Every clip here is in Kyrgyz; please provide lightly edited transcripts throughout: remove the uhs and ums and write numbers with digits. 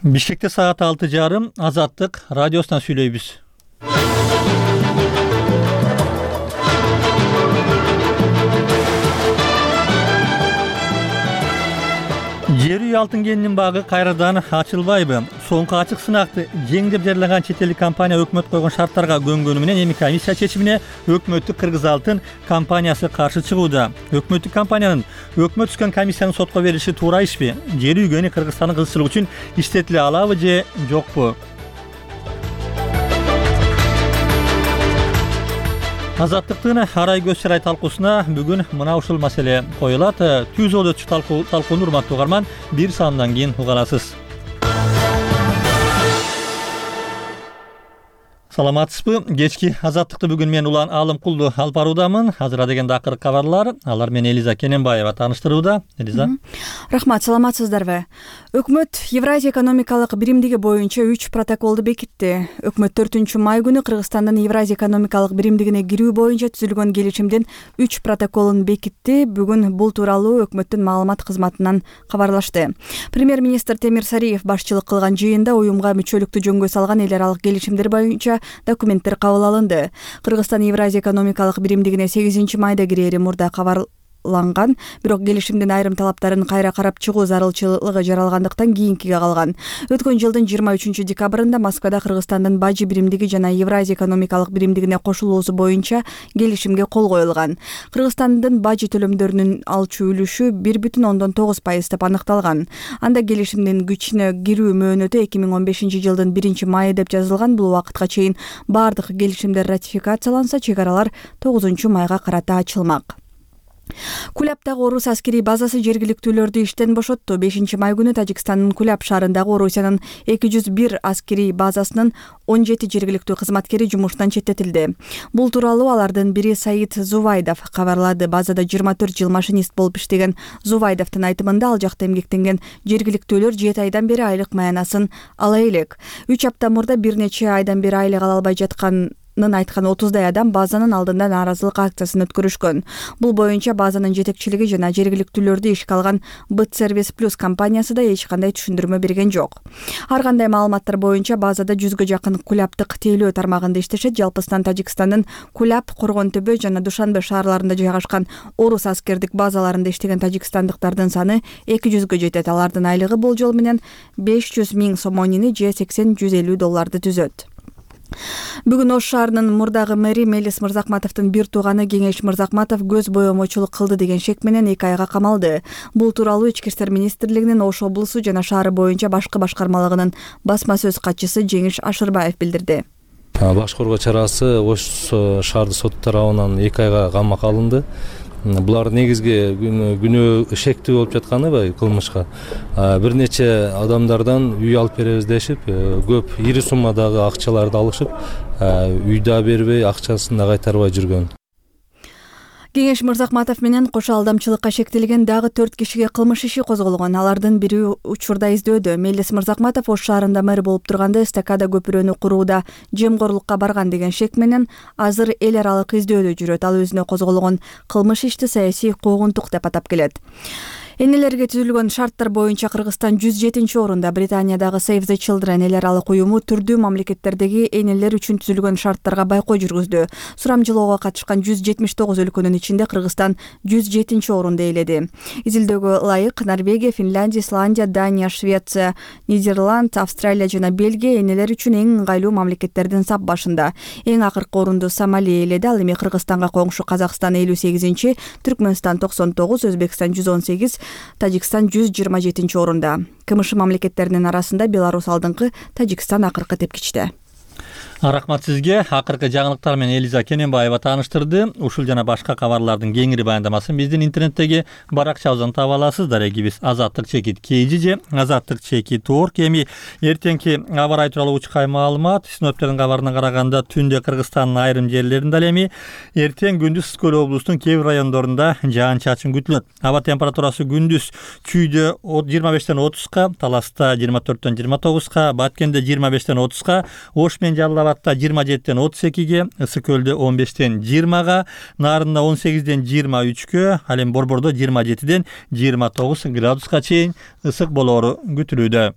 Бишкекте саат 6:30 Азаттык радиосунан сүйлөйбүз. Жер үй алтын кенинин багы кайрадан ачылбайбы? Соңку ачык сынакты жең деп жарылаган чет элдик компания өкмөт койгон шарттарга көнгөнү менен эми комиссия чечимине өкмөттүк Кыргыз алтын компаниясы каршы чыгууда. Өкмөттүк компаниянын өкмөт түзгөн комиссияны сотко бериши туура ишпи? Жер үйгөнү Кыргызстандын кызыкчылыгы үчүн иштетиле алабы же жокпу? Азаттыктын арай көз чарай талкуусуна бүгүн мына ушул маселе коюлат. Түз өтчү талкууну урматтуу угарман, бир саамдан кийин уга аласыз. Саламатсызбы? Кечки Азаттыкты бүгүн мен Улан Алымкулду алып баруудамын. Азыр дегенде акыркы кабарлар. Алар менен Элиза Кененбаева тааныштырууда. Элиза. Рахмат, саламатсыздарбы? Өкмөт Евразия экономикалык биримдиги боюнча 3 протоколду бекитти. Өкмөт 4-май күнү Кыргызстандын Евразия экономикалык биримдигине кирүү боюнча түзүлгөн келишимдин 3 протоколун бекитти. Бүгүн бул тууралуу өкмөттүн маалымат кызматынан кабарлашты. Премьер-министр Темир Сариев башчылык кылган жыйында уюмга мүчөлүктү жөнгө салган эл аралык келишимдер боюнча документтер кабыл алынды. Кыргызстан Евразия экономикалык биримдигине 8-майда кирери мурда кабарланган, бирок келишимдин айрым талаптарын кайра карап чыгуу зарылчылыгы жаралгандыктан кийинкиге калган. Өткөн жылдын 23-декабрында Москвада Кыргызстандын Бажы биримдиги жана Евразия экономикалык биримдигине кошулуусу боюнча келишимге кол коюлган. Кыргызстандын Бажы төлөмдөрүнүн алчу үлүшү 1,9% деп аныкталган. Анда келишимдин күчүнө кирүү мөөнөтү 2015-жылдын 1-майы деп жазылган. Бул убакытка чейин бардык келишимдер ратификацияланса, чек аралар 9-майга карата ачылмак. Кулябдагы орус аскерий базасы жергиликтүүлөрдү иштен бошотту. 5-май күнү Тажикстандын Куляб шаарындагы Орусиянын 201 аскерий базасынын 17 жергиликтүү кызматкери жумуштан четтетилди. Бул тууралуу алардын бири Саид Зувайдов кабарлады. Базада 24 жыл машинист болуп иштеген Зувайдовдун айтымында ал жакта эмгектенген жергиликтүүлөр 7 айдан бери айлык маянасын ала элек. 3 апта мурда бир нече айдан бери айлык ала албай жаткан айткан 30дай адам базанын алдында нааразылык акциясын өткөрүшкөн. Бул боюнча базанын жетекчилиги жана жергиликтүүлөрдү ишке алган Бытсервис Плюс компаниясы да эч кандай түшүндүрмө берген жок. Ар кандай маалыматтар боюнча базада 100гө жакын кулябдык тейлөө тармагында иштешет. Жалпысынан Тажикстандын Куляб, Коргонтөбө жана Душанбе шаарларында жайгашкан орус аскердик базаларында иштеген тажикстандыктардын саны 200гө жетет. Алардын айлыгы болжол менен 500 000 сомонини же $80-150 түзөт. Бүгүн Ош шаарынын мурдагы мэри Мелис Мырзакматовдун бир тууганы Кеңеш Мырзакматов көз боемочулук кылды деген шек менен 2 айга камалды. Бул тууралуу Ички иштер министрлигинин Ош облусу жана шаары боюнча башкы башкармалыгынын басма сөз катчысы Жеңиш Ашырбаев билдирди. Баш коргоо чарасы Ош шаардык сотту тарабынан 2 айга камакка алынды. Булар негизги күнөө шектүү болуп жатканы кылмышка бир нече адамдардан үй алып беребиз дешип, көп ири суммадагы акчаларды алышып, үйдө бербей, акчасын да кайтарбай жүргөн. Кеңеш Мырзакматов менен кошо алдамчылыкка шектелген дагы 4 кишиге кылмыш иши козголгон. Алардын бири учурда издөөдө. Мелис Мырзакматов Ош шаарында мэр болуп турганда эстакада көпүрөнү курууда жемкорлукка барган деген шек менен азыр эл аралык издөөдө жүрөт. Ал өзүнө козголгон кылмыш ишти саясий куугунтук деп атап келет. Энелерге түзүлгөн шарттар боюнча Кыргызстан 107-орунда. Британиядагы Save the Children эл аралык уюму түрдүү мамлекеттердеги энелер үчүн түзүлгөн шарттарга байкоо жүргүздү. Сурамжылоого катышкан 179 өлкөнүн ичинде Кыргызстан 107-орунду ээледи. Изилдөөгө ылайык Норвегия, Финляндия, Исландия, Дания, Швеция, Нидерланд, Австралия жана Бельгия энелер үчүн эң ыңгайлуу мамлекеттердин сап башында. Эң акыркы орунду Сомали ээледи. Ал эми Кыргызстанга коңшу Казакстан 58-чи, Түркмөнстан 99, Өзбекстан 118, Тажикстан 127-орунда. КМШ мамлекеттеринин арасында Беларусь алдыңкы, Тажикстан акыркы тепкичте. Рахмат сизге. Акыркы жаңылыктар менен Элиза Кененбаева тааныштырды. Ушул жана башка кабарлардын кеңири баяндамасын биздин интернеттеги баракчабыздан таба аласыз. Дарегибиз Азаттык чекит KG же Азаттык чекит org. Эми эртеңки аба ырайы тууралуу учкай маалымат. Синоптиктердин кабарына караганда түндө Кыргызстандын айрым жерлеринде ал эми эртең күндүз Ысык көл облусунун кээ бир райондорунда жаан-чачын күтүлөт. Аба температурасы күндүз Чүйдө 25-тен 30га, Таласта 24-тен 29га, Баткенде 25-тен 30га, Ош менен Жалал Абадта 27-тен 32ге, Ысык көлдө 15-тен 20га, Нарында 18-ден 23гө, ал эми Борбордо 27-ден 29 градуска чейин ысык болоору күтүлүүдө.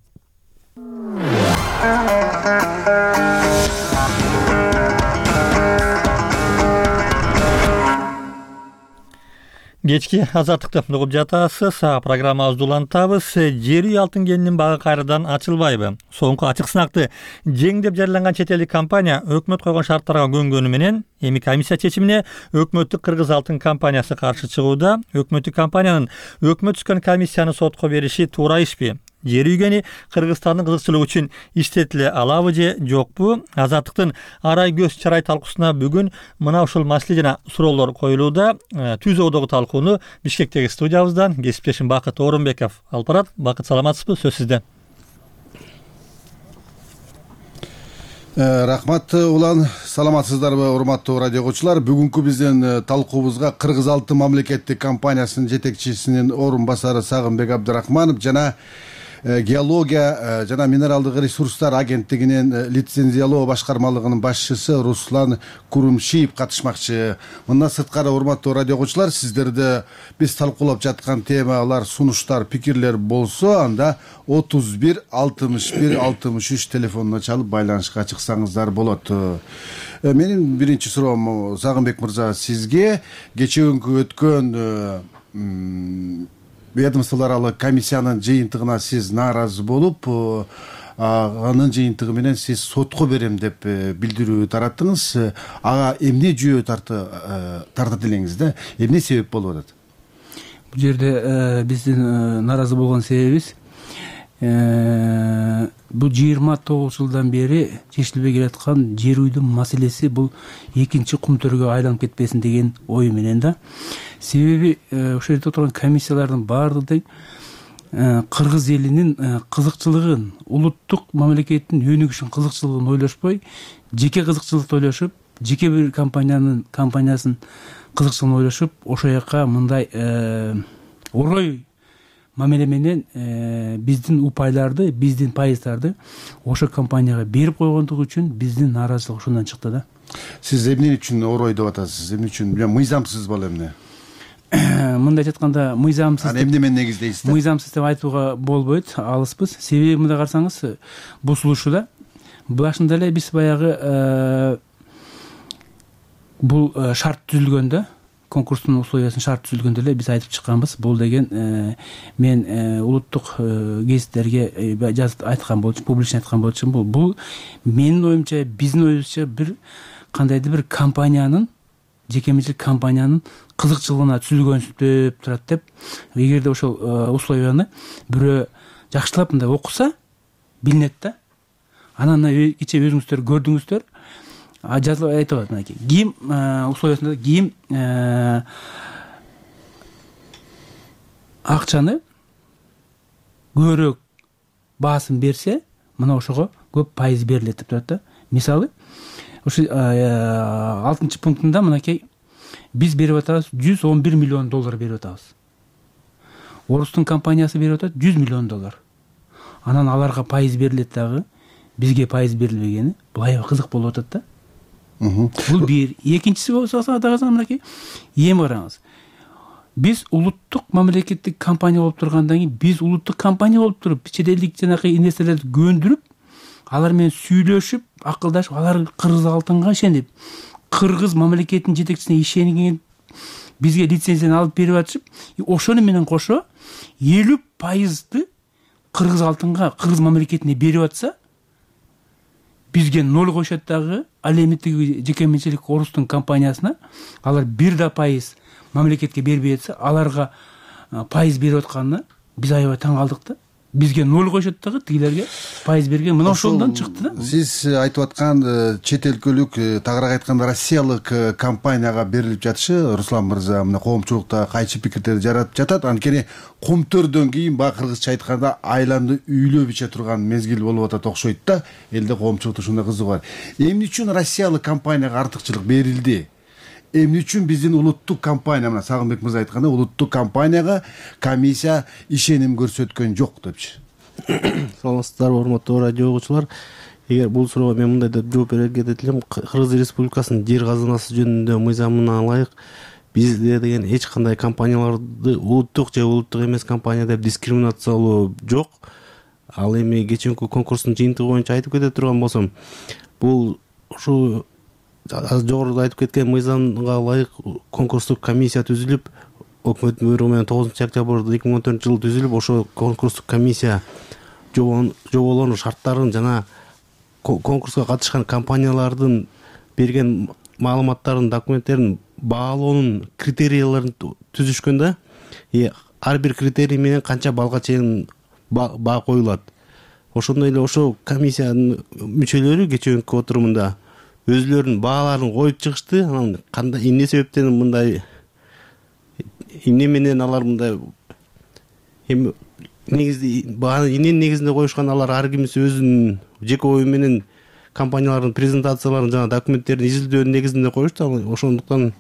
Кечки азаттыкты угуп жатасыз. Программабызды улантабыз. Жер үй алтын кенинин багы кайрадан ачылбайбы? Соңку ачык сынакты жеңдеп жарыяланган чет элдик компания өкмөт койгон шарттарга көнгөнү менен эми комиссия чечимине өкмөттүк Кыргыз алтын компаниясы каршы чыгууда. Өкмөттүк компаниянын өкмөт түзгөн комиссияны сотко бериши туура ишпи? Жер үйгени Кыргызстандын кызыкчылыгы үчүн иштетиле алабы же жокпу? Азаттыктын арай көз чарай талкуусуна бүгүн мына ушул маселе жана суроолор коюлууда. Түз оодогу талкууну Бишкектеги студиябыздан кесиптешим Бакыт Орунбеков алып барат. Бакыт, саламатсызбы? Сөз сизде. Рахмат улан, саламатсыздарбы урматтуу радио угуучулар? Бүгүнкү биздин талкуубузга Кыргыз алтын мамлекеттик компаниясынын жетекчисинин орун басары Сагынбек Абдрахманов жана геология жана минералдык ресурстар агенттигинин лицензиялоо башкармалыгынын башчысы Руслан Курумшиев катышмакчы. Мындан сырткары урматтуу радио угуучулар, сиздерде биз талкуулап жаткан темалар, сунуштар, пикирлер болсо, анда 31 61 63 телефонуна чалып байланышка чыксаңыздар болот. Менин биринчи суроом Сагынбек мырза сизге. Кечээ өткөн ведомстволор аралык комиссиянын жыйынтыгына сиз нааразы болуп, анын жыйынтыгы менен сиз сотко берем деп билдирүү тараттыңыз. Ага эмне жүйө тартат элеңиз да? Эмне себеп болуп атат? Бул жерде биздин нааразы болгон себебибиз бул 29 жылдан бери чечилбей келаткан жер үйдүн маселеси бул экинчи кумтөргө айланып кетпесин деген ой менен да. Себеби ошол жерде отурган комиссиялардын баардыгы кыргыз элинин кызыкчылыгын, улуттук мамлекеттин өнүгүшүн, кызыкчылыгын ойлошпой, жеке кызыкчылыкты ойлошуп, жеке бир компаниясын кызыкчылыгын ойлошуп, ошол жака мындай орой мамиле менен биздин упайларды, биздин пайыздарды ошо компанияга берип койгондугу үчүн биздин нааразычылык ушундан чыкты да. Сиз эмне үчүн орой деп атасыз? Эмне үчүн? Мыйзамсыз боло эмне? Мындай айтканда мыйзамсыз. Аны эмне менен негиздейсиз да? Мыйзамсыз деп айтууга болбойт, алыспыз. Себеби мындай карасаңыз, бул сулушуда башында эле биз баягы бул шарт түзүлгөндө, конкурстун условиясын шарт түзүлгөндө эле биз айтып чыкканбыз. Бул деген мен улуттук гезиттерге жазып айткан болчумун, публично айткан болчумун. Бул менин оюмча, биздин оюбузча бир кандайдыр бир компаниянын, жекеменчилик компаниянын кызыкчылыгына түзүлгөнсүп турат деп. Эгерде ошол условияны бирөө жакшылап мындай окуса билинет да. Анан кечээ өзүңүздөр көрдүңүздөр. Жазылып айтып атат мынакей. Ким условиясында ким акчаны көбүрөөк баасын берсе, мына ошого көп пайыз берилет деп турат да. Мисалы, ошо 6-чы пунктунда мынакей биз берип атабыз, $111 миллион берип атабыз. Орустун компаниясы берип атат $100 миллион. Анан аларга пайыз берилет дагы, бизге пайыз берилбегени, бул аябай кызык болуп атат да. Бул бир. Экинчиси болсо дагы мынакей, эми караңыз. Биз улуттук мамлекеттик компания болуп тургандан кийин, биз улуттук компания болуп туруп, чет элдик жанакы инвесторлорду көндүрүп, алар менен сүйлөшүп, акылдашып, алар Кыргыз алтынга ишенип, Кыргыз мамлекетинин жетекчисине ишенген, бизге лицензияны алып берип атышып, ошону менен кошо 50%ды Кыргыз алтынга, Кыргыз мамлекетине берип атса, бизге 0 коюшат дагы, ал эми тиги жекеменчилик орустун компаниясына алар 1% мамлекетке бербей атса, аларга пайыз берип атканына биз аябай таң калдык да. Бизге 0 коюшат дагы, тигилерге пайыз берген. Мына ошондон чыкты да. Сиз айтып аткан чет өлкөлүк, тагыраак айтканда Россиялык компанияга берилип жатышы, Руслан мырза, мына коомчулукта кайчы пикирдерди жаратып жатат. Анткени кумтөрдөн кийин баягы кыргызча айтканда айланды үйлөп иче турган мезгил болуп атат окшойт да. Элде коомчулукта ушундай кызыгы бар. Эмне үчүн Россиялык компанияга артыкчылык берилди? Эмне үчүн биздин улуттук компания, мына Сагынбек мырза айткандай, улуттук компанияга комиссия ишеним көрсөткөн жок депчи? Саламатсыздарбы, урматтуу радио угуучулар. Эгер бул суроого мен мындай деп жооп берерге элем, Кыргыз Республикасынын жер казынасы жөнүндө мыйзамына ылайык бизде деген эч кандай компанияларды улуттук же улуттук эмес компания деп дискриминациялоо жок. Ал эми кечээки конкурстун жыйынтыгы боюнча айтып кете турган болсом, бул жогоруда айтып кеткен мыйзамга ылайык конкурстук комиссия түзүлүп, өкмөттүн буйругу менен 9-октябрда 2014-жылы түзүлүп, ошо конкурстук комиссия жоболордун шарттарын жана конкурска катышкан компаниялардын берген маалыматтарын, документтерин баалоонун критерийлерин түзүшкөн да. Ар бир критерий менен канча балга чейин баа коюлат. Ошондой эле ошо комиссиянын мүчөлөрү кечээкү отурумунда өзүлөрүнүн бааларын коюп чыгышты. Анан кандай эмне себептен мындай, эмне менен алар мындай негизде бааны эмненин негизинде коюшкан, алар ар кимиси өзүнүн жеке ою менен компаниялардын презентацияларын жана документтерин изилдөөнүн негизинде коюшту. Ошондуктан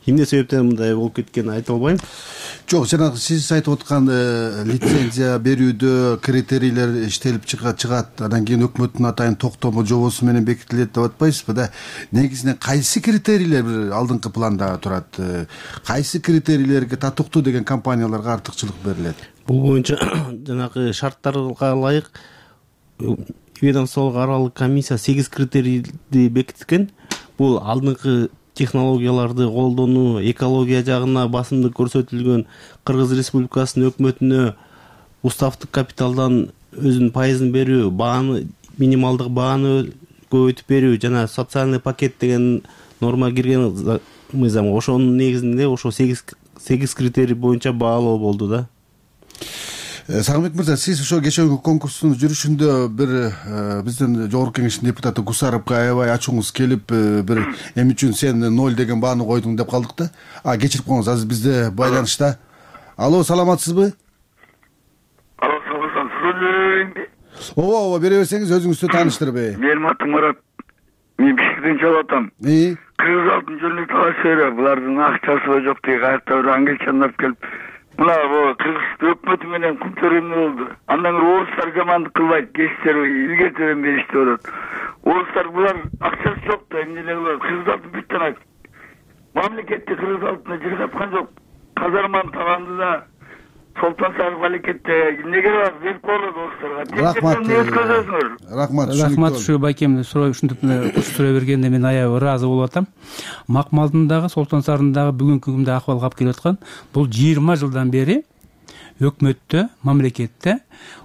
эмне себептен мындай болуп кеткенин айта албайм. Жок, жанагы сиз айтып аткан лицензия берүүдө критерийлер иштелип чыгат, андан кийин өкмөттүн атайын токтому жобосу менен бекитилет деп атпайсызбы да? Негизинен кайсы критерийлер бир алдыңкы планда турат? Кайсы критерийлерге татыктуу деген компанияларга артыкчылык берилет? Бул боюнча жанагы шарттарга ылайык ведомстволук аралык комиссия 8 критерийди бекиткен. Бул алдыңкы технологияларды колдонуу, экология жагына басымдык көрсөтүлгөн, Кыргыз Республикасынын өкмөтүнө уставдык капиталдан өзүнүн пайызын берүү, бааны, минималдык бааны көбөйтүп берүү жана социальный пакет деген норма кирген мыйзам. Ошонун негизинде ошо 8 критерий боюнча баалоо болду да. Сагынбек мырза, сиз ошо кечээкү конкурстун жүрүшүндө бир биздин жогорку кеңештин депутаты Гусаровго аябай ачууңуз келип, бир эмне үчүн сен 0 деген бааны койдуң деп калдык да. Кечирип коюңуз, азыр бизде байланышта. Алло, саламатсызбы? Алло, саламатсызбы? Ооба, бере берсеңиз, өзүңүздү тааныштырбы? Менин атым Мурат. Мен Бишкектен чалып атам. Кыргыз алтын жөнүндө талаш берип, булардын акчасы жок дейт, кайта бир англичандар келип, мына Кыргыз өкмөтү менен кум төрөмү болду. Андан кийин орустар жамандык кылбайт, кечтер илгертеден беришти болот. Орустар булар акчасы жок да, эмне эле кылат? Кыргыз алтын бүт жана мамлекетти Кыргыз алтына жыргаткан жок. Казарманын табанында да Солтан Сарып алекетте эмнеге бар? Берип коелу досторго. Рахмат, ушу байкемди ушинтип суроо бергенде мен аябай ыраазы болуп атам. Макмалдындагы, Солтан Сарындагы бүгүнкү күндө акыбалга алып келип аткан бул 20 жылдан бери өкмөттө, мамлекетте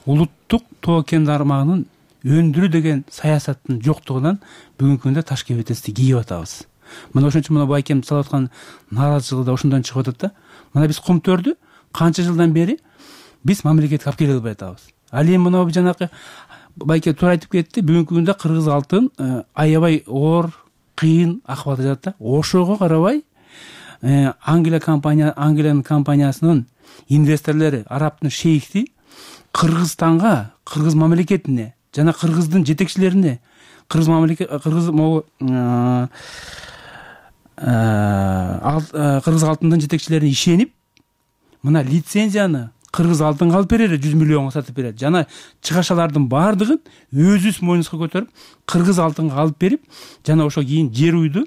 улуттук тоо кен тармагынын өндүрүү деген саясаттын жоктугунан бүгүнкү күндө таш кебетести кийип атабыз. Мына ошон үчүн байкем салып аткан нааразычылыгы да ошондон чыгып атат да. Мына биз кум төрдү канча жылдан бери биз мамлекетке алып келе албай атабыз. Ал эми мына жанакы байке туура айтып кетти, бүгүнкү күндө Кыргыз алтын аябай оор, кыйын акыбалда жатат да. Ошого карабай Англиянын компаниясынын инвесторлору, арабтын шейхти Кыргызстанга, Кыргыз мамлекетине жана Кыргыздын жетекчилерине, Кыргыз алтындын жетекчилерине ишенип, мына лицензияны Кыргыз алтынга алып берер, 100 миллионго сатып берет. Жана чыгашалардын баардыгын өзүбүз мойнубузга көтөрүп, Кыргыз алтынга алып берип, жана ошо кийин жер үйдү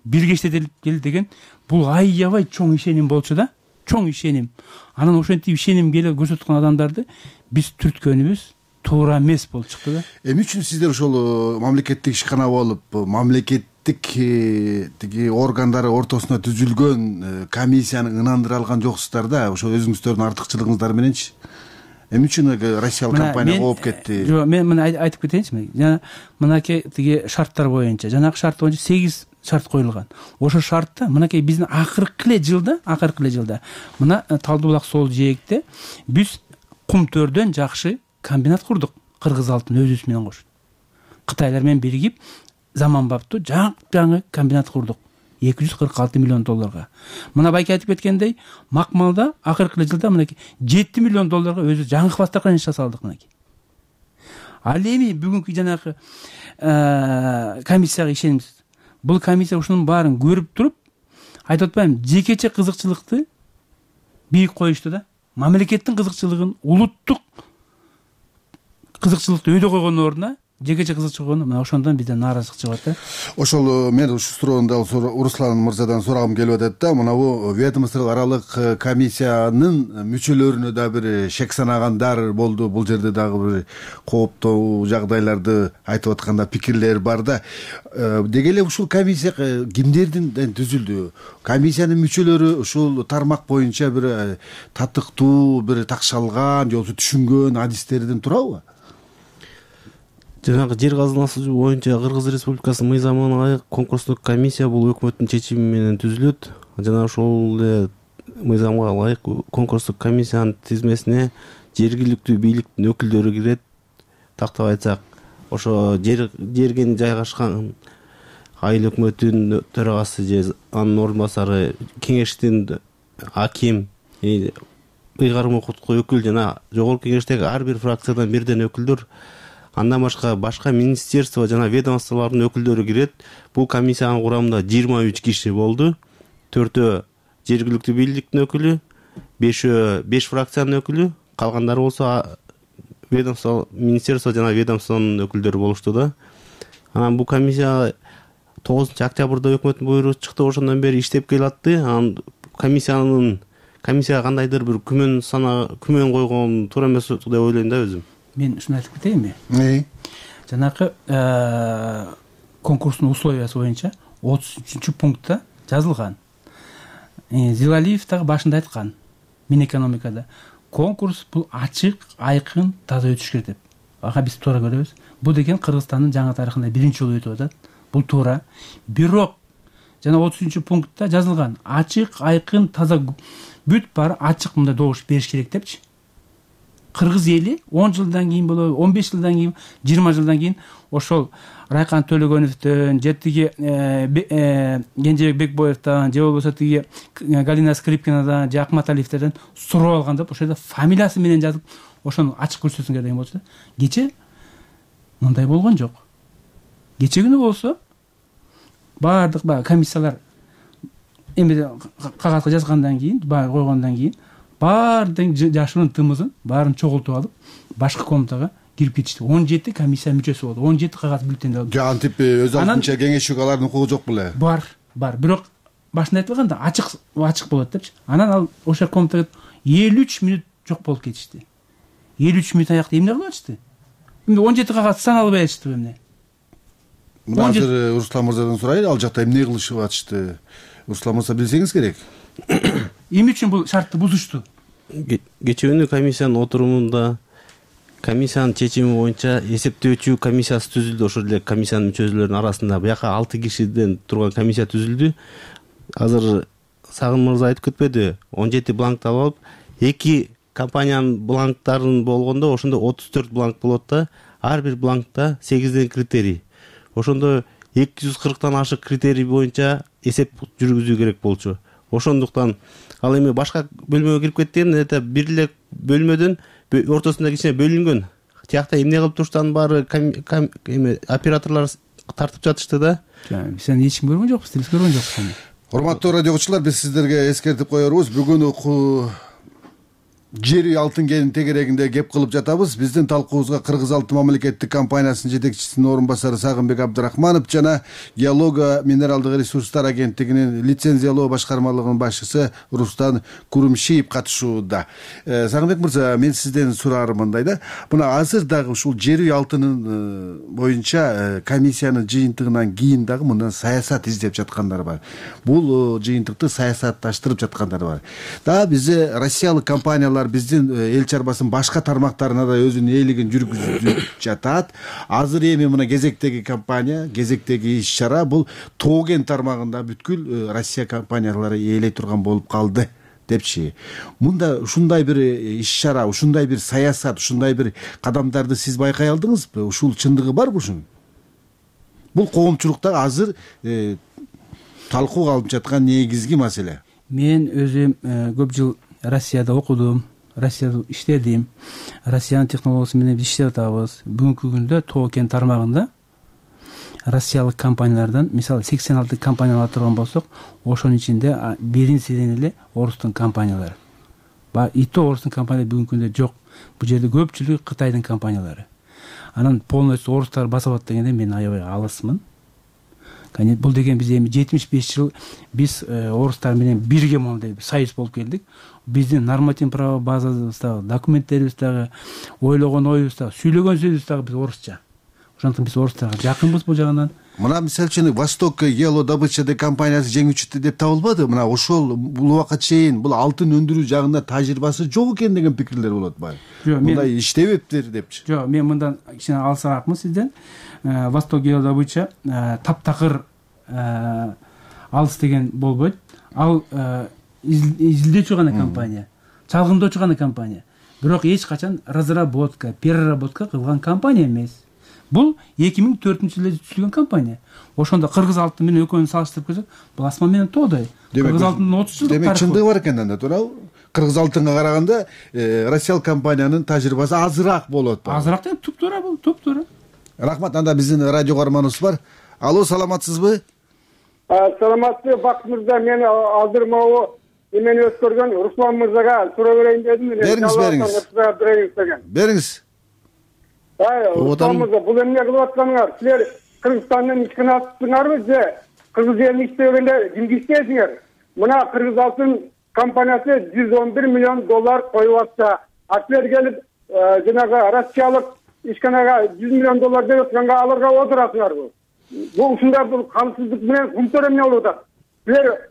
бирге иштетели деген бул аябай чоң ишеним болчу да. Чоң ишеним. Анан ошентип ишеним келип көрсөткөн адамдарды биз түрткөнүбүз туура эмес болуп чыкты да. Эмне үчүн сиздер ошол мамлекеттик ишкана болуп, мамлекеттик тиги органдары ортосуна түзүлгөн комиссияны ынандыра алган жоксуздар да? Ошо өзүңүздөрдүн артыкчылыгыңыздар мененчи? Эмне үчүн Россиялык компания кооп кетти? Жок, мен мына айтып кетейинчи. Жана мынакей тиги шарттар боюнча, жанагы шарт боюнча 8 шарт коюлган. Ошо шартта мынакей биздин акыркы эле жылда мына Талды булак сол жээкте биз кум төрдөн жакшы комбинат курдук. Кыргыз алтын өзүбүз менен кошуп. Кытайлар менен биригип заманбаптуу жаңы комбинат курдук. 246 миллион долларга. Мына байке айтып кеткендей, Макмалда акыркы жылда мынакей 7 миллион долларга өзү жаңы хвастарга иш жасалдык мынакей. Ал эми бүгүнкү жанагы комиссияга ишенемиз. Бул комиссия ушунун баарын көрүп туруп, айтып атпайм, жекече кызыкчылыкты бийик коюшту да. Мамлекеттин кызыкчылыгын, улуттук кызыкчылыкты өйдө койгондун ордуна жекече кызыкчылыгы мына ошондон бизден нааразычылык чыгып атат. Ошол мен ушул суроону дагы Руслан мырзадан сурагым келип атат да. Мынабу ведомство аралык комиссиянын мүчөлөрүнө да бир шек санагандар болду. Бул жерде дагы бир кооптуу жагдайларды айтып атканда пикирлер бар да. Деги эле ушул комиссия кимдердин түзүлдү? Комиссиянын мүчөлөрү ушул тармак боюнча бир татыктуу, бир такшалган, же болбосо түшүнгөн адистерден турабы? Жанагы жер казынасы боюнча Кыргыз Республикасынын мыйзамына ылайык конкурстук комиссия бул өкмөттүн чечими менен түзүлөт. Жана ошол эле мыйзамга ылайык конкурстук комиссиянын тизмесине жергиликтүү бийликтин өкүлдөрү кирет. Тактап айтсак, ошо жерген жайгашкан айыл өкмөтүнүн төрагасы же анын орун басары, кеңештин аким, ыйгарым укуктук өкүл жана жогорку кеңештеги ар бир фракциядан бирден өкүлдөр, андан башка министерство жана ведомстволордун өкүлдөрү кирет. Бул комиссиянын курамында 23 киши болду. 4 жергиликтүү бийликтин өкүлү, 5 фракциянын өкүлү, калгандары болсо ведомство, министерство жана ведомствонун өкүлдөрү болушту да. Анан бул комиссия 9 октябрда өкмөттүн буйругу чыкты, ошондон бери иштеп келатты. Анан комиссияга кандайдыр бир күмөн койгон туура эмес деп ойлойм да өзүм. Мен ушуну айтып кетейинби? Жанакы конкурстун условиясы боюнча 33-пунктта жазылган. Зилалиев дагы башында айткан Минэкономикада конкурс бул ачык, айкын, таза өтүш керек деп. Ага биз туура көрөбүз. Бул деген Кыргызстандын жаңы тарыхында биринчи жолу өтүп атат. Бул туура. Бирок жана 33-пунктта жазылган ачык, айкын, таза бүт баары ачык мындай добуш бериш керек депчи. Кыргыз эли 10 жылдан кийин болобу, 15 жылдан кийин, 20 жылдан кийин ошол Райкан Төлөгөновдөн, жетиги Кенжебек Бекбоевдон, же болбосо тиги Галина Скрипкинадан, же Акматалиевден сурап алган деп ошол жерде фамилиясы менен жазып, ошону ачык көрсөтсөңөр деген болчу да. Кече мындай болгон жок. Кече күнү болсо баардык комиссиялар эми кагазга жазгандан кийин, баягы койгондон кийин баардык жашырын тымызын баарын чогултуп алып, башкы комнатага кирип кетишти. 17 комиссия мүчөсү болду. 17 кагаз бюллетень алып. Антип өз алдынча кеңешчик алардын укугу жок беле? Бар. Бирок башында айтылганда ачык болот депчи. Анан ал ошо комнатага 53 мүнөт жок болуп кетишти. 53 мүнөт аякта эмне кылып атышты? Эми 17 кагаз саналбай атышты эмне? Мына азыр Руслан мырзадан сурайлы, ал жакта эмне кылышып атышты? Руслан мырза билсеңиз керек. Эмне үчүн бул шартты бузушту? Кече күнү комиссиянын отурумунда комиссиянын чечими боюнча эсептөөчү комиссиясы түзүлдү. Ошол эле комиссиянын мүчөлөрүнүн арасында бияка 6 кишиден турган комиссия түзүлдү. Азыр Сагын мырза айтып кетпеди, 17 бланкты алып, 2 компаниянын бланктарын болгондо ошондо 34 бланк болот да. Ар бир бланкта 8ден критерий. Ошондо 240тан ашык критерий боюнча эсеп жүргүзүү керек болчу. Ошондуктан ал эми башка бөлмөгө кирип кеткен, бир эле бөлмөдөн ортосунда кичине бөлүнгөн. Тиякта эмне кылып туруштан баары операторлор тартып жатышты да. Сен эч ким көргөн жокпуз, биз көргөн жокпуз. Урматтуу радио угуучулар, биз сиздерге эскертип коербуз. Бүгүн жер алтын кенин тегерегинде кеп кылып жатабыз. Биздин талкуубузга Кыргыз алтын мамлекеттик компаниясынын жетекчисинин орун басары Сагынбек Абдрахманов жана Геолога минералдык ресурстар агенттигинин лицензиялоо башкармалыгынын башчысы Рустам Курумшиев катышууда. Сагынбек мырза, мен сизден сураарым мындай да. Мына азыр дагы ушул жер алтынын боюнча комиссиянын жыйынтыгынан кийин дагы мындан саясат издеп жаткандар бар. Бул жыйынтыкты саясатташтырып жаткандар бар. Дагы бизде россиялык компаниялар биздин эл чарбасынын башка тармактарына да өзүнүн ээлигин жүргүзүп жатат. Азыр эми мына кезектеги компания, кезектеги иш-чара бул Тоо кен тармагында бүткүл Россия компаниялары ээлей турган болуп калды депчи. Мында ушундай бир иш-чара, ушундай бир саясат, ушундай бир кадамдарды сиз байкай алдыңызбы? Ушул чындыгы барбы ушунун? Бул коомчулукта азыр талкууга алынып жаткан негизги маселе. Мен өзүм көп жыл Россияда окудум, Россияда иштедим. Россиянын технологиясы менен биз иштеп атабыз. Бүгүнкү күндө Тоо кен тармагында россиялык компаниялардан, мисалы 86 компания алып турган болсок, ошонун ичинде биринчиден эле орустун компаниялары. И то орустун компаниялары бүгүнкү күндө жок. Бул жерде көпчүлүгү Кытайдын компаниялары. анан полностью орустар басып алат дегенде мен аябай алысмын. Бул деген биз эми 75 жыл биз орустар менен бирге мондай союз болуп келдик. Биздин нормативдик право базабыз дагы, документтерибиз дагы, ойлогон оюбуз дагы, сүйлөгөн сөзүбүз дагы биз орусча. Ошондуктан биз орустарга жакынбыз бул жагынан. Мына мисалы үчүн Восток геолодобыча компаниясы жеңүүчү деп табылбады. Мына ошол бул убакка чейин бул алтын өндүрүү жагында тажрыйбасы жок экен деген пикирлер болот баы. Мындай иштебептир депчи. Жок, мен мындан кичине алысыраакмын сизден. Восток геолодобыча таптакыр алыс деген болбойт. Ал изилдөөчү гана компания, чалгындоочу гана компания. Бирок эч качан разработка, переработка кылган компания эмес. Бул 2004-жылы түзүлгөн компания. Ошондо кыргыз алтын менен экөөнү салыштырып көрсөк, бул асман менен тоодой. Кыргыз алтындын 30 жылдык тарыхы. Демек чындыгы бар экен анда, туурабы? Кыргыз алтынга караганда Россиялык компаниянын тажрыйбасы азыраак болот. Азыраак деп туп-туура бул, туп-туура. Рахмат. Анда биздин радио каарманыбыз бар. Алло, саламатсызбы? Саламатсызбы, Бакыт мырза. Мен алдырмоо эмени өткөргөн Руслан мырзага суроо берейин дедим. Бериңиз. Руслан мырза, бул эмне кылып атканыңар? Силер Кыргызстандын ичкине аттыңарбы же кыргыз элин иштегенде кимге иштейсиңер? Мына Кыргыз алтын компаниясы $111 миллион коюп атса, силер келип жанагы Россиялык ишканага $100 миллион берип атканга аларга отурасыңарбы? Бул ушундай бул камсыздык менен кумтөр эмне болуп атат? Силер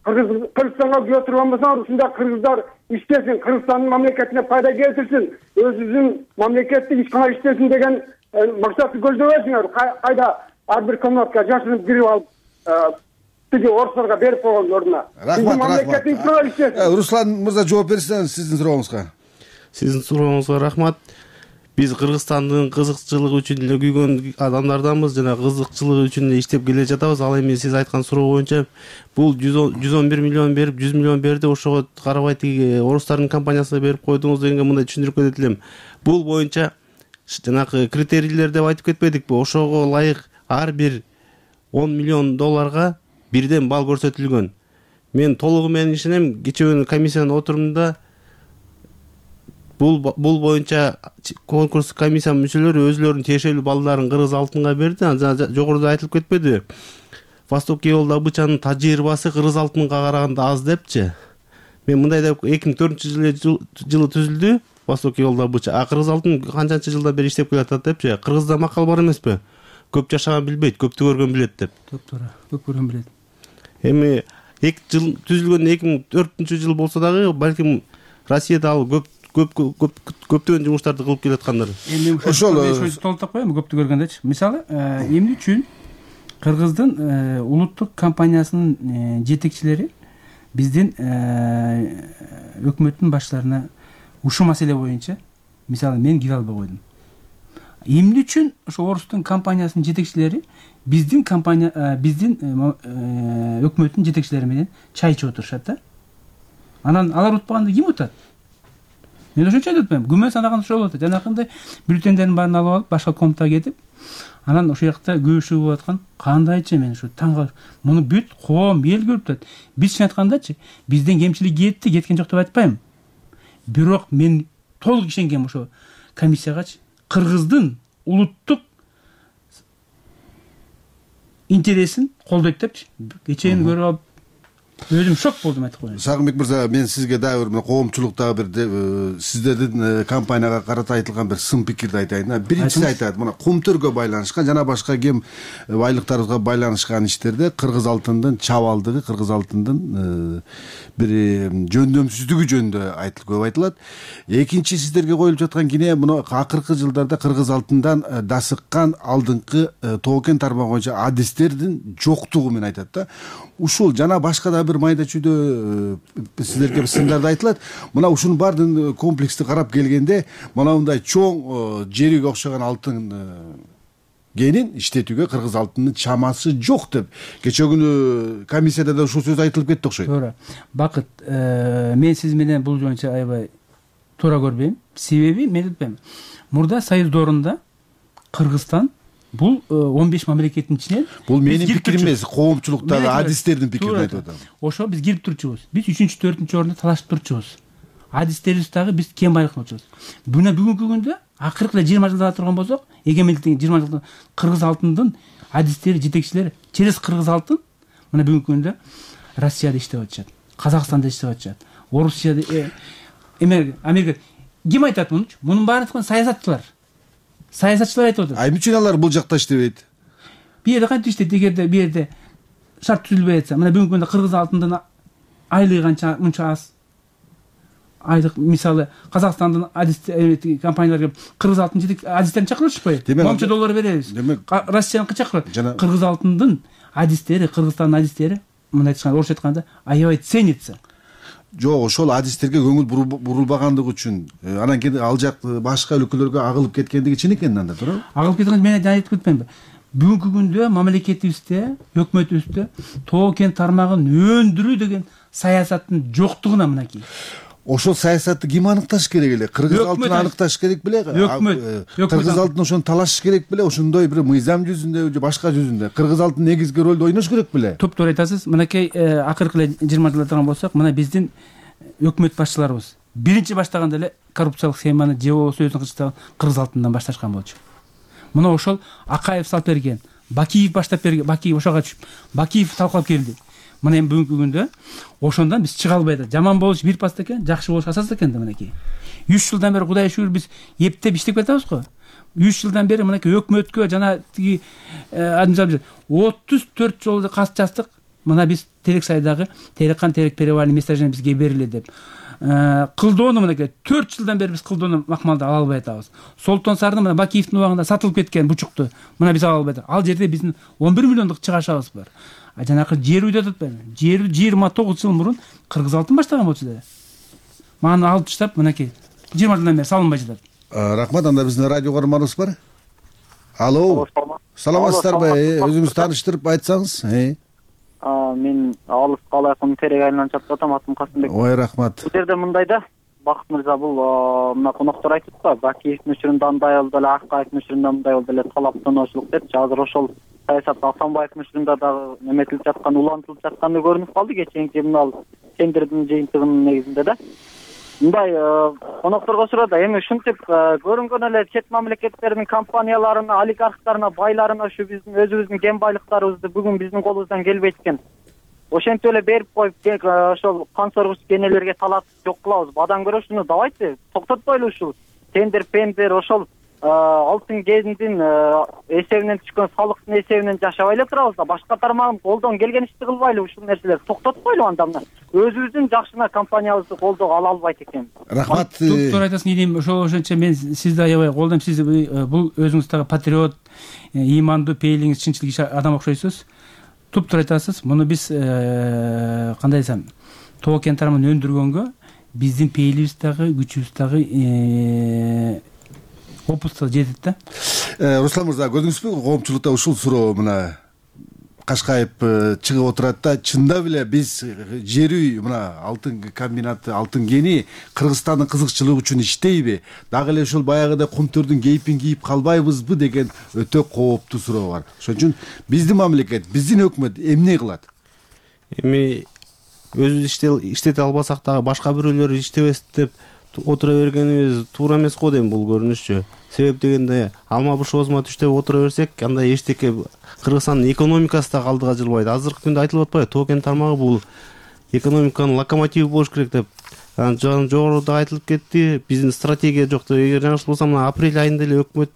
Кыргызстанга күбө турганбасаңар, ушундай кыргыздар иштесин, Кыргызстандын мамлекетине пайда келтирсин, өзүнүн мамлекеттик ишкана иштесин деген максатты көздөбөйсүңөр. Кайда ар бир комнатка жашынып кирип алып тиги орустарга берип койгон ордуна. Рахмат. Руслан мырза жооп берсиңиз сиздин сурооңузга. Сиздин сурооңузга рахмат. Биз Кыргызстандын кызыкчылыгы үчүн эле күйгөн адамдарданбыз, жана кызыкчылыгы үчүн эле иштеп келе жатабыз. Ал эми сиз айткан суроо боюнча бул 111 миллион берип, 100 миллион берди, ошого карабай тиги орустардын компаниясына берип койдуңуз дегенге мындай түшүндүрүп кетет элем. Бул боюнча жанагы критерийлер деп айтып кетпедикпи? Ошого ылайык ар бир $10 миллион бирден бал көрсөтүлгөн. Мен толугу менен ишенем. Кечээ комиссиянын отурумунда бул боюнча конкурс комиссия мүчөлөрү өзлөрүнүн тиешелүү балдарын Кыргыз алтынга берди. Жогоруда айтылып кетпедиби? Восток геолодобычанын тажрыйбасы Кыргыз алтынга караганда аз депчи. Мен мындай деп 2004-жылы түзүлдү Восток геолодобыча. Кыргыз алтын канчанчы жылдан бери иштеп келатат депчи. Кыргызда макал бар эмеспи? Көп жашаган билбейт, көптү көргөн билет деп. Туура, көп көргөн билет. Эми 2 жыл түзүлгөн 2004-жыл болсо дагы балким Россияда ал көптөгөн жумуштарды кылып келаткандар. Эми ошол толуктап коеюн, көптү көргөндечи. Мисалы, эмне үчүн Кыргыздын улуттук компаниясынын жетекчилери биздин өкмөттүн баштарына ушул маселе боюнча, мисалы, мен кире албай койдум. Эмне үчүн ошо орустун компаниясынын жетекчилери биздин өкмөттүн жетекчилери менен чай ичип отурушат да? Анан алар утпаганда ким утат? Мен ошончо айтып атпаймынбы? Күмөн санаган ошол болот. Жанакындай бюллетендердин баарын алып алып, башка комнатага кетип, анан ошол жакта күйүшүү болуп аткан. Кандайчы мен ушу таң калып, муну бүт коом эл көрүп атат. Биз чын айткандачы, бизден кемчилик кеткен жок деп айтпайм. Бирок мен толук ишенгем ошо комиссиягачы. Кыргыздын улуттук интересин колдойт депчи. Кечээни көрүп алып, өзүм шок болдум айтып коеюн. Сагынбек мырза, мен сизге дагы бир коомчулуктагы бир сиздердин компанияга карата айтылган бир сын пикирди айтайын. Биринчиси айтат, мына кумтөргө байланышкан жана башка кем байлыктарыбызга байланышкан иштерде Кыргыз алтындын чабалдыгы, Кыргыз алтындын бир жөндөмсүздүгү жөнүндө көп айтылат. Экинчи сиздерге коюлуп жаткан кине мына акыркы жылдарда Кыргыз алтындан дасыккан алдыңкы тоокен тармагы боюнча адистердин жоктугу менен айтат да. Ушул жана башка да бир майда чүйдө сиздерге сындарды айтылат. Мына ушунун баардыгын комплексти карап келгенде, мына мындай чоң жериге окшогон алтын кенин иштетүүгө Кыргыз алтынынын чамасы жок деп кечээ күнү комиссияда да ушул сөз айтылып кетти окшойт. Туура. Бакыт, мен сиз менен бул боюнча аябай туура көрбөйм. Себеби мен айтпайм. Мурда союз доорунда Кыргызстан бул 15 мамлекеттин ичинен бул менин пикирим эмес, коомчулуктагы адистердин пикирин айтып атам. Ошо биз кирип турчубуз. Биз 3-4 орунда талашып турчубуз. Адистерибиз дагы биз кем байлыкты болчубуз. Бүгүнкү күндө акыркы эле 20 жылда турган болсок, эгемендиктин 20 жылда кыргыз алтындын адистери, жетекчилери через кыргыз алтын мына бүгүнкү күндө Россияда иштеп атышат, Казакстанда иштеп атышат, Орусияда, Америка. Ким айтат мунучу? Мунун баарын саясатчылар айтып отур. Эмне үчүн алар бул жакта иштебейт? Бир жерде кантип иштейт? Эгерде бир жерде шарт түзүлбөй атса, мына бүгүнкү күндө кыргыз алтындын айлыгы канча, мынча аз. Айлык мисалы Казакстандын адистер компанияларга кыргыз алтын жетек адистерин чакырышпайбы? Момча доллар беребиз. Россияныкы чакырат. Кыргыз алтындын адистери, Кыргызстандын адистери мындай айтканда, орусча айтканда, аябай ценится. Жок, ошол адистерге көңүл бурулбагандыгы үчүн, анан кийин ал жак башка өлкөлөргө агылып кеткендиги чын экен анда, туура? Агылып кеткен мен айтып кетпеймби? Бүгүнкү күндө мамлекетибизде, өкмөтүбүздө тоо кен тармагын өндүрүү деген саясаттын жоктугуна мынакей. Ошол саясатты ким аныкташ керек эле? Кыргыз алтын аныкташ керек беле? Кыргыз алтын ошону талашыш керек беле? Ошондой бир мыйзам жүзүндө же башка жүзүндө кыргыз алтын негизги ролду ойнош керек беле? Топтор айтасыз. Мынакей акыркы эле 20 жылда турган болсок, мына биздин өкмөт башчыларыбыз биринчи баштаганда эле коррупциялык схеманы же болбосо өзүнүн кылычтагы кыргыз алтындан башташкан болчу. Мына ошол Акаев салып берген, Бакиев баштап берген, Бакиев ошого түшүп, Бакиев талкалап келди. Мына эми бүгүнкү күндө ошондон биз чыга албай атат. Жаман болуш бир паста экен, жакшы болуш асас экен да мынакей. 3 жылдан бери Кудайга шүгүр биз эптеп иштеп кетебиз го. 3 жылдан бери мынакей өкмөткө жана тиги 34 жолу кат жаздык. Мына биз Терексайдагы Тереккан Терек перевальный месторождение бизге бериле деп. Кылдоону мынакей 4 жылдан бери биз кылдоону макмалды ала албай атабыз. Солтон Сардын мына Бакиевдин убагында сатылып кеткен бучукту мына биз ала албай атабыз. Ал жерде биздин 11 миллиондук чыгашабыз бар. Жанакы жер үйдө атпайбы? Жер 29 жыл мурун кыргыз алтын баштаган болчу да. Маны алып таштап мынакей 20 жылдан бери салынбай жатат. Рахмат, анда биздин радио көрөрманыбыз бар. Алло. Саламатсыздарбы? Өзүңүз тааныштырып айтсаңыз. Мен Алыс кала айкын Терек айылынан чатып атам, атым Касымбек. Ой, рахмат. Бул жерде мындай да, Бакыт мырза, бул мына коноктор айтып атпайбы, Бакиевдин учурунда андай болду эле, Акаевдин учурунда мындай болду эле, талаптануучулук депчи. Азыр ошол саясат Асанбаевдин учурунда дагы неметилип жаткан, улантылып жатканы көрүнүп калды кечээинки мына тендердин жыйынтыгынын негизинде да. Мындай конокторго сурады, эми ушинтип көрүнгөн эле чет мамлекеттердин компанияларына, олигархтарына, байларына ушу биздин өзүбүздүн кен байлыктарыбызды бүгүн биздин колубуздан келбейт экен. Ошентип эле берип коюп, ошол кан соргуч кенелерге талап жок кылабыз. Бадан көрө ушуну давайте токтотпойлу, ушул тендер, пендер, ошол алтын кендин эсебинен түшкөн салыктын эсебинен жашабай эле турабыз да. Башка тармагын колдон келген ишти кылбайлы, ушул нерселерди токтотпойлу. Анда мына өзүбүздүн жакшына компаниябызды колдоого ала албайт экен. Рахмат. Токтор айтасың дейм, ошончо мен сизди аябай колдойм. Сиз бул өзүңүз дагы патриот, ыймандуу, пейилиңиз чынчыл адам окшойсуз. Туптур айтасыз. Муну биз кандай десем, тоо кен тармагын өндүргөнгө биздин пейилибиз дагы, күчүбүз дагы опусто жетет да. Руслан мырза, көрдүңүзбү, коомчулукта ушул суроо мына Кашкаев чыгып отурат да, чындап эле биз жер үй мына алтын комбинаты, алтын кени Кыргызстандын кызыкчылыгы үчүн иштейби? Дагы эле ушул баягыдай кумтөрдүн кейпин кийип калбайбызбы деген өтө кооптуу суроо бар. Ошон үчүн биздин мамлекет, биздин өкмөт эмне кылат? Эми өзүбүз иштете албасак дагы башка бирөөлөр иштебес деп отура бергенибиз туура эмес го дейм бул көрүнүшчү. Себеп дегенде алма буш оозума түш деп отура берсек, андай эчтеке Кыргызстандын экономикасы да алдыга жылбайт. Азыркы күндө айтылып атпайбы, тоо кен тармагы бул экономиканын локомотиви болуш керек деп. Жогоруда айтылып кетти, биздин стратегия жок деп. Эгер жаңылышпасам, мына апрель айында эле өкмөт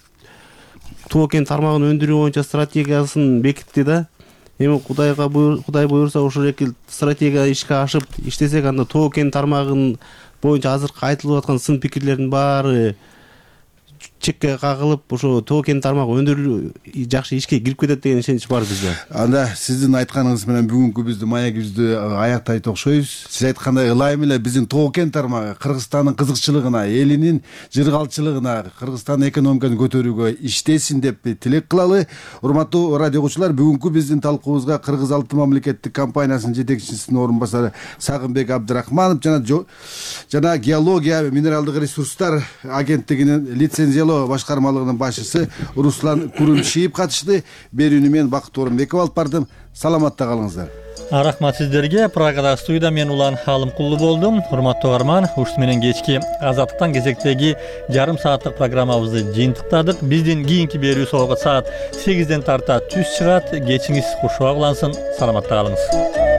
тоо кен тармагын өндүрүү боюнча стратегиясын бекитти да. Эми Кудай буйрса ошол эки стратегия ишке ашып иштесек, анда тоо кен тармагын боюнча азыркы айтылып аткан сын пикирлердин баары чекке кагылып, ошо тоо кен тармагы өндүрүү жакшы ишке кирип кетет деген ишенич бар бизде. Анда сиздин айтканыңыз менен бүгүнкү биздин маегибизди аяктайт окшойбуз. Сиз айткандай ылайым эле биздин тоо кен тармагы Кыргызстандын кызыкчылыгына, элинин жыргалчылыгына, Кыргызстандын экономикасын көтөрүүгө иштесин деп тилек кылалы. Урматтуу радио угуучулар, бүгүнкү биздин талкуубузга Кыргыз алтын мамлекеттик компаниясынын жетекчисинин орун басары Сагынбек Абдрахманов жана геология минералдык ресурстар агенттигинин лицензиялоо башкармалыгынын башчысы Руслан Курумшиев катышты. Берүүнү мен Бакыт Орунбеков алып бардым. Саламатта калыңыздар. Рахмат сиздерге. Прагада студияда мен Улан Алымкулду болдум. Урматтуу угарман, ушул менен кечки Азаттыктан кезектеги жарым сааттык программабызды жыйынтыктадык. Биздин кийинки берүүсү саат 8ден тарта түз чыгат. Кечиңиз куршуак улансын. Саламатта калыңыз.